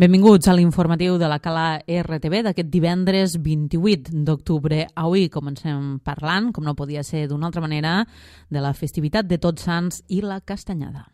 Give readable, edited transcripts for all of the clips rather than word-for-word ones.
Benvinguts a l'informatiu de la Cala RTV d'aquest divendres 28 d'octubre. Avui comencem parlant, com no podia ser d'una altra manera, de la festivitat de Tots Sants i la Castanyada.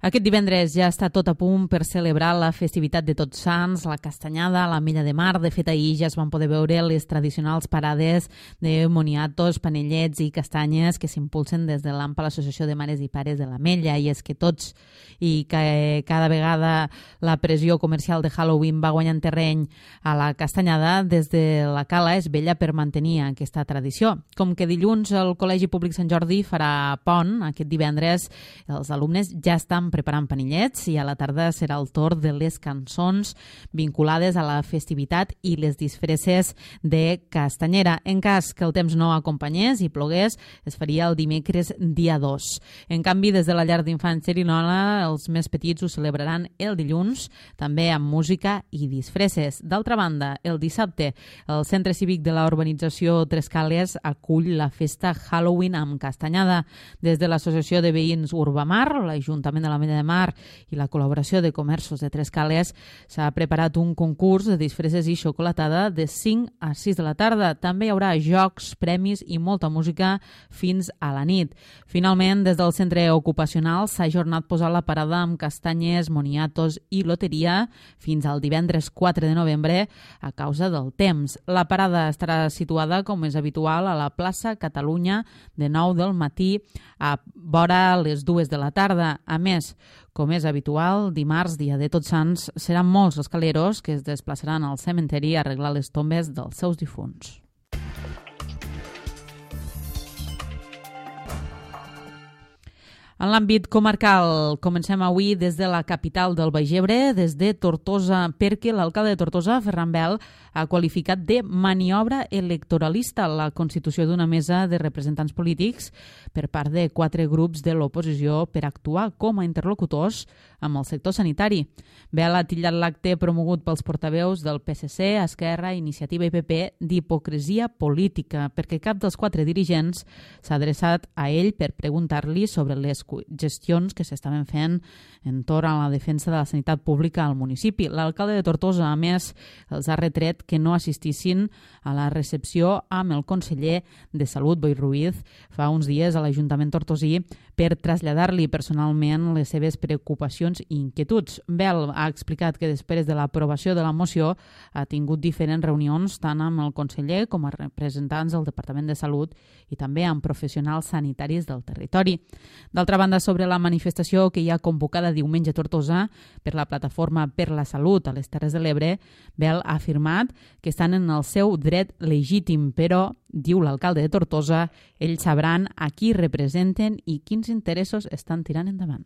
Aquest divendres ja està tot a punt per celebrar la festivitat de Tots Sants, la Castanyada, la Milla de Mar. De fet, ahir ja es van poder veure les tradicionals parades de moniatos, panellets i castanyes que s'impulsen des de l'AMPA, l'Associació de Mares i Pares de la Mella. I és que tots i que cada vegada la pressió comercial de Halloween va guanyant terreny a la Castanyada, des de la Cala es vetlla per mantenir aquesta tradició. Com que dilluns el Col·legi Públic Sant Jordi farà pont, aquest divendres els alumnes ja estan preparant panellets i a la tarda serà el torn de les cançons vinculades a la festivitat i les disfresses de Castanyera. En cas que el temps no acompanyés i plogués, es faria el dimecres dia 2. En canvi, des de la llar d'infants Cerinola, els més petits ho celebraran el dilluns, també amb música i disfresses. D'altra banda, el dissabte, el Centre Cívic de la Urbanització Tres Cales acull la festa Halloween amb Castanyada. Des de l'Associació de Veïns Urbamar, l'Ajuntament de la Mella de Mar i la col·laboració de comerços de Tres Cales, s'ha preparat un concurs de disfresses i xocolatada de 5 a 6 de la tarda. També hi haurà jocs, premis i molta música fins a la nit. Finalment, des del centre ocupacional s'ha ajornat posar la parada amb castanyes, moniatos i loteria fins al divendres 4 de novembre a causa del temps. La parada estarà situada, com és habitual, a la plaça Catalunya de 9 del matí a vora les 2 de la tarda. A més, com és habitual, dimarts, dia de Tots Sants, seran molts els caleros que es desplaçaran al cementeri a arreglar les tombes dels seus difunts. En l'àmbit comarcal, comencem avui des de la capital del Baix Ebre, des de Tortosa, perquè l'alcalde de Tortosa, Ferran Bel, ha qualificat de maniobra electoralista la constitució d'una mesa de representants polítics per part de 4 grups de l'oposició per actuar com a interlocutors amb el sector sanitari. Bel ha titllat l'acte promogut pels portaveus del PSC, Esquerra, Iniciativa i PP d'hipocresia política, perquè cap dels 4 dirigents s'ha adreçat a ell per preguntar-li sobre les gestions que s'estaven fent entorn a la defensa de la sanitat pública al municipi. L'alcalde de Tortosa, a més, els ha retret que no assistissin a la recepció amb el conseller de Salut, Boi Ruiz, fa uns dies a l'Ajuntament tortosí per traslladar-li personalment les seves preocupacions i inquietuds. Bel ha explicat que després de l'aprovació de la moció ha tingut diferents reunions tant amb el conseller com a representants del Departament de Salut i també amb professionals sanitaris del territori. D'altra banda, sobre la manifestació que hi ha convocada diumenge a Tortosa per la Plataforma per la Salut a les Terres de l'Ebre, Bel ha afirmat que estan en el seu dret legítim, però, diu l'alcalde de Tortosa, ells sabran a qui representen i quins interessos estan tirant endavant.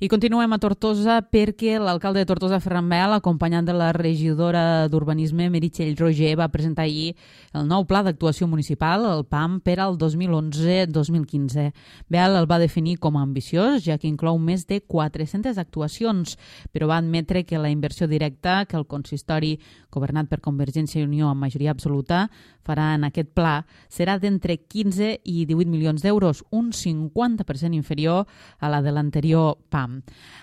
I continuem a Tortosa perquè l'alcalde de Tortosa, Ferran Bel, acompanyat de la regidora d'Urbanisme, Meritxell Roger, va presentar ahir el nou Pla d'Actuació Municipal, el PAM, per al 2011-2015. Bel el va definir com a ambiciós, ja que inclou més de 400 actuacions, però va admetre que la inversió directa que el consistori, governat per Convergència i Unió amb majoria absoluta, farà en aquest pla serà d'entre 15 i 18 milions d'euros, un 50% inferior a la de l'anterior PAM.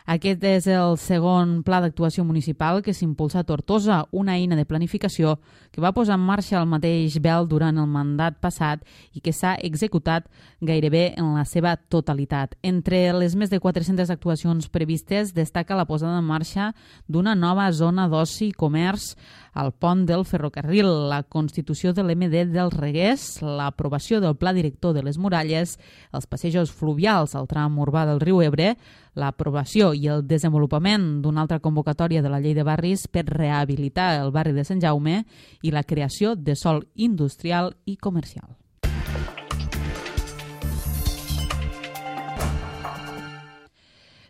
Aquest és el segon pla d'actuació municipal que s'impulsa a Tortosa, una eina de planificació que va posar en marxa el mateix Bel durant el mandat passat i que s'ha executat gairebé en la seva totalitat. Entre les més de 400 actuacions previstes destaca la posada en marxa d'una nova zona d'oci i comerç al pont del ferrocarril, la constitució de l'MD dels Reguers, l'aprovació del Pla Director de les Muralles, els passejos fluvials al tram urbà del riu Ebre, l'aprovació i el desenvolupament d'una altra convocatòria de la Llei de Barris per rehabilitar el barri de Sant Jaume i la creació de sòl industrial i comercial.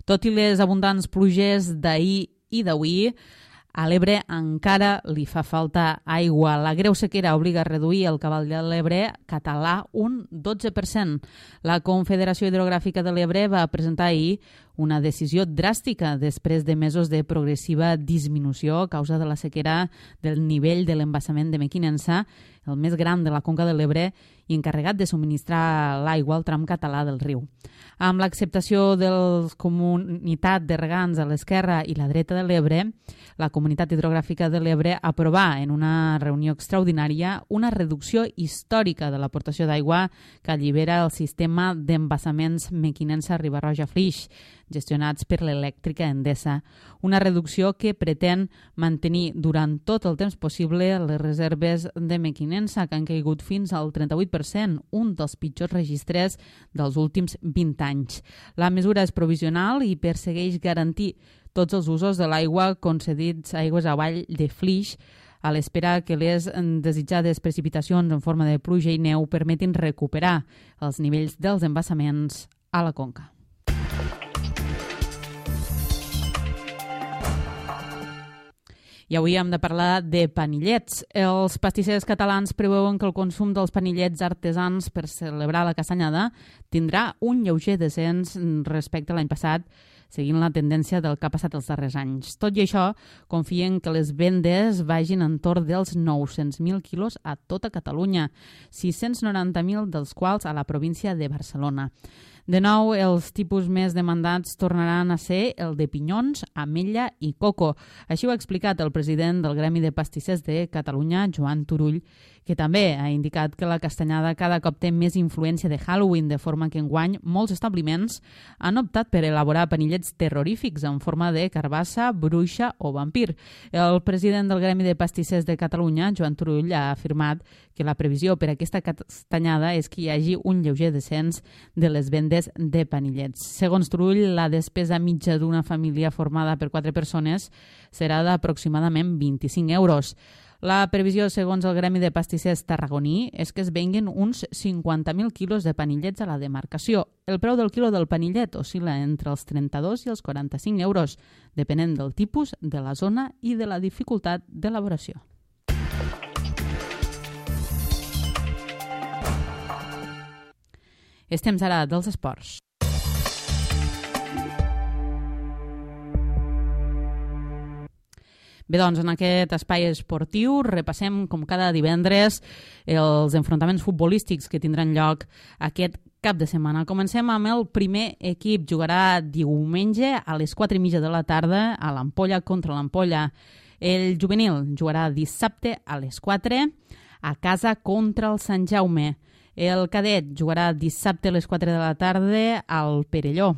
Tot i les abundants pluges d'ahir i d'avui, a l'Ebre encara li fa falta aigua. La greu sequera obliga a reduir el cabal de l'Ebre català un 12%. La Confederació Hidrogràfica de l'Ebre va presentar ahir una decisió dràstica després de mesos de progressiva disminució a causa de la sequera del nivell de l'embassament de Mequinensa, el més gran de la Conca de l'Ebre i encarregat de subministrar l'aigua al tram català del riu. Amb l'acceptació de la Comunitat de Regants a l'esquerra i la dreta de l'Ebre, la Comunitat Hidrogràfica de l'Ebre aprovà en una reunió extraordinària una reducció històrica de l'aportació d'aigua que allibera el sistema d'embassaments Mequinensa-Riba-roja-Flix, gestionats per l'elèctrica Endesa. Una reducció que pretén mantenir durant tot el temps possible les reserves de Mequinensa, que han caigut fins al 38%, un dels pitjors registres dels últims 20 anys. La mesura és provisional i persegueix garantir tots els usos de l'aigua concedits a aigües avall de Flix, a l'espera que les desitjades precipitacions en forma de pluja i neu permetin recuperar els nivells dels embassaments a la conca. I avui hem de parlar de panillets. Els pastissers catalans preveuen que el consum dels panillets artesans per celebrar la castanyada tindrà un lleuger descens respecte a l'any passat, seguint la tendència del que ha passat els darrers anys. Tot i això, confien que les vendes vagin entorn dels 900.000 quilos a tota Catalunya, 690.000 dels quals a la província de Barcelona. De nou, els tipus més demandats tornaran a ser el de pinyons, ametlla i coco. Així ho ha explicat el president del Gremi de Pastissers de Catalunya, Joan Turull, que també ha indicat que la castanyada cada cop té més influència de Halloween, de forma que enguany molts establiments han optat per elaborar panillets terrorífics en forma de carbassa, bruixa o vampir. El president del Gremi de Pastissers de Catalunya, Joan Turull, ha afirmat que la previsió per a aquesta castanyada és que hi hagi un lleuger descens de les vendes de panillets. Segons Turull, la despesa mitja d'una família formada per 4 persones serà d'aproximadament 25 euros. La previsió, segons el Gremi de Pastissers tarragoní, és que es venguen uns 50.000 quilos de panillets a la demarcació. El preu del quilo del panillet oscil·la entre els 32 i els 45 euros, depenent del tipus, de la zona i de la dificultat d'elaboració. És temps ara dels esports. Bé, doncs, en aquest espai esportiu repassem, com cada divendres, els enfrontaments futbolístics que tindran lloc aquest cap de setmana. Comencem amb el primer equip. Jugarà diumenge a les 4:30 de la tarda a l'Ampolla contra l'Ampolla. El juvenil jugarà dissabte a les 4 a casa contra el Sant Jaume. El cadet jugarà dissabte a les 4 de la tarda al Perelló.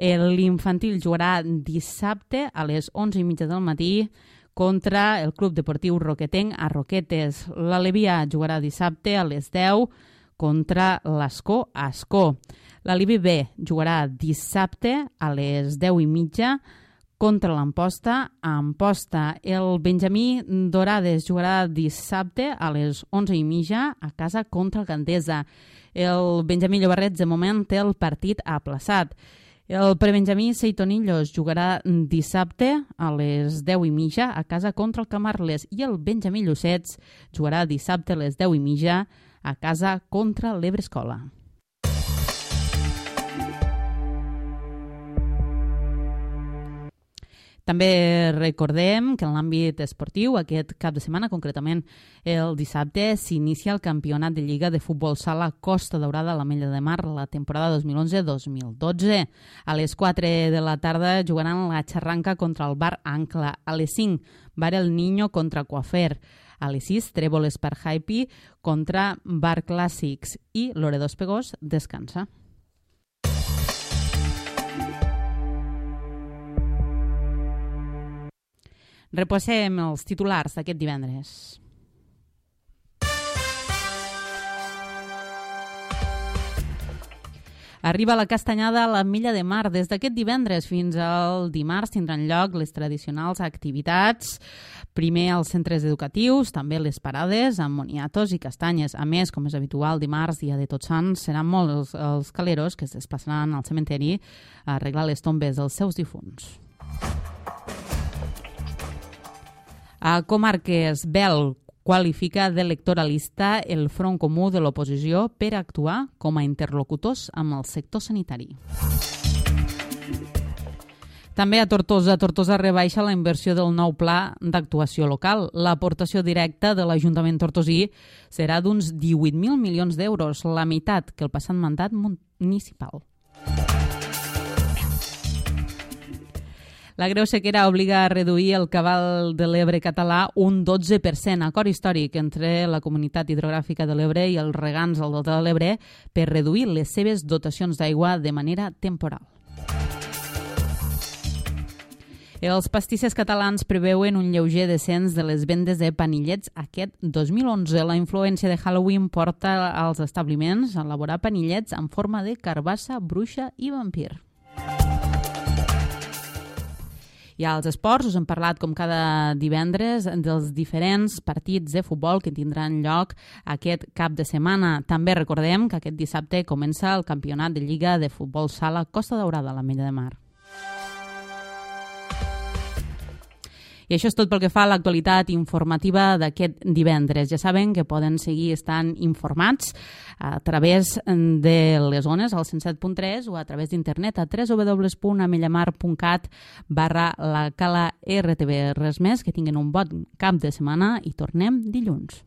L'infantil jugarà dissabte a les 11:30 del matí contra el Club Deportiu Roquetenc a Roquetes. L'Alevia jugarà dissabte a les 10 contra l'Ascó a Ascó. L'Alivi B jugarà dissabte a les 10:30 contra l'Amposta a Amposta. El Benjamí Dorades jugarà dissabte a les 11:30 a casa contra el Gandesa. El Benjamí Llobarrets de moment té el partit aplaçat. El prebenjamí Seitonillos jugarà dissabte a les 10:30 a casa contra el Camarles i el Benjamí Llucets jugarà dissabte a les 10:30 a casa contra l'Ebre Escola. També recordem que en l'àmbit esportiu aquest cap de setmana, concretament el dissabte, s'inicia el campionat de Lliga de Futbol Sala Costa Daurada a l'Ametlla de Mar, la temporada 2011-2012. A les 4 de la tarda jugaran la Xarranca contra el Bar Ancla. A les 5, Bar El Niño contra Coafer. A les 6, Trèvoles per Hype contra Bar Clàssics. I Loredo Espegós descansa. Repassem els titulars d'aquest divendres. Arriba la castanyada a l'Ametlla de Mar. Des d'aquest divendres fins al dimarts tindran lloc les tradicionals activitats. Primer als centres educatius, també les parades amb moniatos i castanyes. A més, com és habitual, dimarts, dia de Tots Sants, seran molts els caleros que es desplaçaran al cementeri a arreglar les tombes dels seus difunts. A Comarques, Bel qualifica d'electoralista el Front Comú de l'oposició per actuar com a interlocutors amb el sector sanitari. També a Tortosa. Tortosa rebaixa la inversió del nou pla d'actuació local. L'aportació directa de l'Ajuntament tortosí serà d'uns 18.000 milions d'euros, la meitat que el passat mandat municipal. La greu sequera obliga a reduir el cabal de l'Ebre català un 12%, acord històric entre la Comunitat Hidrogràfica de l'Ebre i els regants del Delta de l'Ebre per reduir les seves dotacions d'aigua de manera temporal. Els pastissers catalans preveuen un lleuger descens de les vendes de panillets aquest 2011. La influència de Halloween porta als establiments a elaborar panillets en forma de carbassa, bruixa i vampir. I als esports us hem parlat, com cada divendres, dels diferents partits de futbol que tindran lloc aquest cap de setmana. També recordem que aquest dissabte comença el campionat de Lliga de Futbol Sala Costa Daurada a l'Ametlla de Mar. I això és tot pel que fa a l'actualitat informativa d'aquest divendres. Ja saben que poden seguir estant informats a través de les ones al 107.3 o a través d'internet a www.amellaMar.cat/la Cala RTV. Res més, que tinguin un bon cap de setmana i tornem dilluns.